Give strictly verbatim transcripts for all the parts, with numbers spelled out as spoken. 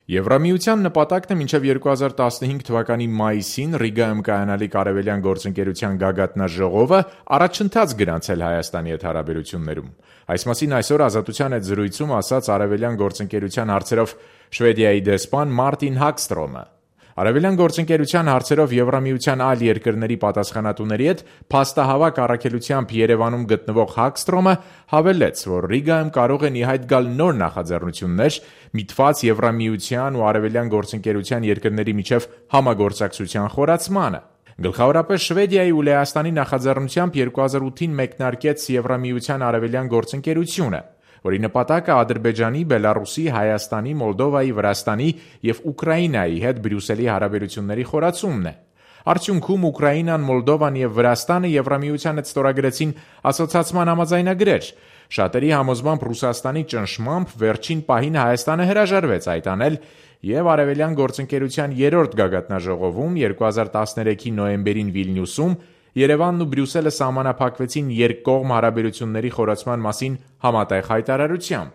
Եվրամիության նպատակն է մինչև երկու հազար տասնհինգ թվականի մայիսին Ռիգայում կայանալիք Արևելյան գործընկերության գագաթնաժողովը առաջընթաց գրանցել Հայաստանի հետ հարաբերություններում։ Այս մասին այսօր Ազատության հետ զրույցում ասաց Արևելյան գործընկերության հարցերով Շվեդիայի դեսպան Մարտին Հագստրոմը։ Արևելյան գործընկերության հարցերով Եվրամիության այլ երկրների պատասխանատուների հետ փաստահավաք առաքելությամբ Երևանում գտնվող Հագստրոմը հավելեց, որ Ռիգայում կարող են ի հայտ գալ նոր նախաձեռնություններ միտված Եվրամիության ու Արևելյան գործընկերության երկրների միջև համագործակցության խորացմանը։ Գլխավորապես Շվեդիայի ու Լեհաստանի նախաձեռնությամբ երկու հազար ութին մեկնարկեց Եվրամիության Արևելյան գործընկերությունը, որի նպատակը Ադրբեջանի, Բելառուսի, Հայաստանի, Մոլդովայի, Վրաստանի և Ուկրաինայի հետ Բրյուսելի հարաբերությունների խորացումն է։ Արդյունքում Ուկրաինան, Մոլդովան և Վրաստանը Եվրամիության հետ ստորագրեցին ասոցիացման համաձայնագրեր։ Շատերի համոզմամբ Ռուսաստանի ճնշմամբ վերջին պահին Հայաստանը հրաժարվեց այդ անել և Արևելյան գործընկերության երրորդ գագաթնաժողովում երկու հազար տասներեքի նոյեմբերին Վիլնյուսում Երևանն ու Բրյուսելը սահմանափակվեցին երկկողմ հարաբերությունների խորացման մասին համատեղ հայտարարությամբ։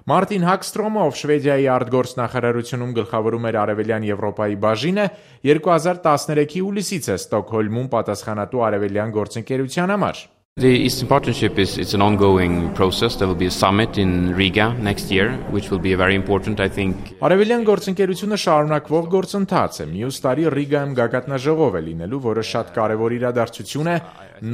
Մարտին Հագստրոմը, ով Շվեդիայի արտգործնախարարությունում գլխավորում էր Արևելյան Եվրոպայի բաժինը, երկու հազար տասներեքի հուլիսից է Ստոկհոլմում պատասխանատու Արևելյան գործընկերության համար։ The Eastern Partnership is it's an ongoing process. There will be a summit in Riga next year, which will be very important, I think. Արևելյան գործընկերությունը շարունակվող գործընթաց է։ Մյուս տարի Ռիգայում գագաթնաժողով է լինելու, որը շատ կարևոր իրադարձություն է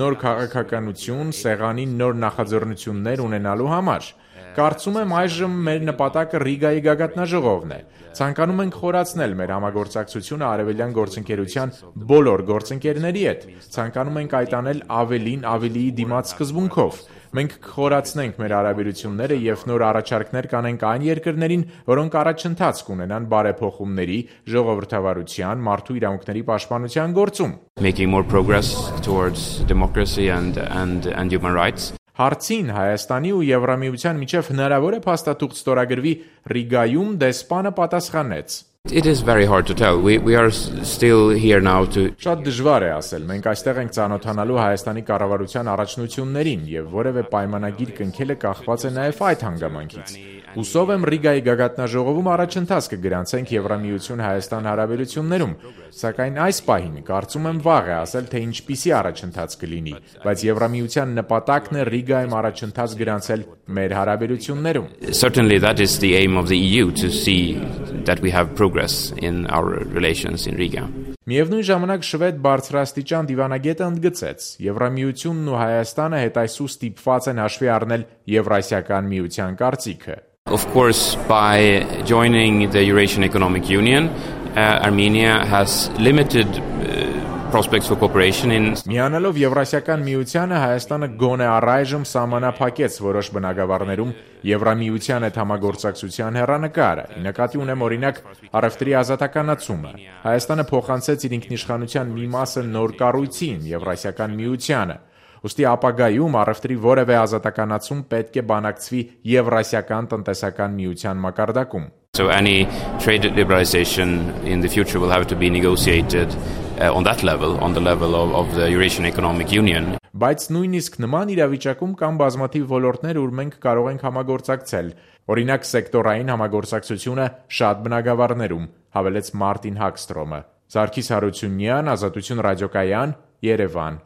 նոր քաղաքականություն, սեղանի նոր նախաձեռնություններ ունենալու համար։ Կարծում եմ այժմ մեր նպատակը Ռիգայի գագաթնաժողովն է։ Ցանկանում ենք խորացնել մեր համագործակցությունը Արևելյան գործընկերության բոլոր գործընկերների հետ։ Ցանկանում ենք այդ անել ավելին ավելիի դիմաց սկզբունքով։ Մենք կխորացնենք մեր հարաբերությունները և նոր առաջարկներ կանենք այն երկրներին, որոնք առաջընթաց կունենան բարեփոխումների, ժողովրդավարության, մարդու իրավունքների պաշտպանության գործում։ Making more progress towards democracy and and and human rights. Հարցին Հայաստանի ու Եվրամիության միջև հնարավոր է փաստաթուղթ ստորագրվի Ռիգայում դեսպանը պատասխանեց. It is very hard to tell. We we are still here now to Շատ դժվար է ասել։ Մենք այստեղ ենք ծանոթանալու Հայաստանի կառավարության առաջնություններին եւ որևէ պայմանագիր կնքելը կախված է նաեւ այդ հանգամանքից։ Հուսով եմ Ռիգայի գագաթնաժողովում առաջընթաց կգրանցենք Եվրամիություն-Հայաստան հարաբերություններում, սակայն այս պահին կարծում եմ վաղ է ասել, թե ինչպիսի առաջընթաց կլինի, բայց Եվրամիության նպատակն է Ռիգայում առաջընթաց գրանցել մեր հարաբերություններում։ Certainly that is the aim of the E U to see that we have progress in our relations in Riga. Միևնույն ժամանակ շվեդ բարձրաստիճան դիվանագետը ընդգծեց. Եվրամիությունն ու Հայաստանը հետայսու ստիպված են հաշվի առնել Եվրասիական միության կարծիքը։ Of course, by joining the Eurasian Economic Union, uh, Armenia has limited uh, prospects for cooperation in Միանալով Եվրասիական միությանը Հայաստանը գոնե առայժմ սահմանափակեց որոշ բնագավառներում Եվրամիության հետ համագործակցության հեռանկարը։ Նկատի ունեմ օրինակ առևտրի ազատականացումը։ Հայաստանը փոխանցեց իր ինքնիշխանության մի մասը նոր կառույցին Եվրասիական միությանը։ Ուստի ապագայում առևտրի որևէ ազատականացում պետք է բանակցվի Եվրասիական տնտեսական միության մակարդակում։ So any trade liberalization in the future will have to be negotiated uh, on that level, on the level of, of the Eurasian Economic Union. Բայց նույնիսկ նման իրավիճակում կան բազմաթիվ ոլորտներ, ուր մենք կարող ենք համագործակցել։ Օրինակ սեկտորային համագործակցությունը շատ բնագավառներում, հավելեց Մարտին Հագստրոմը։ Սարգիս Հարությունյան, Ազատություն ռադիոկայան, Երևան։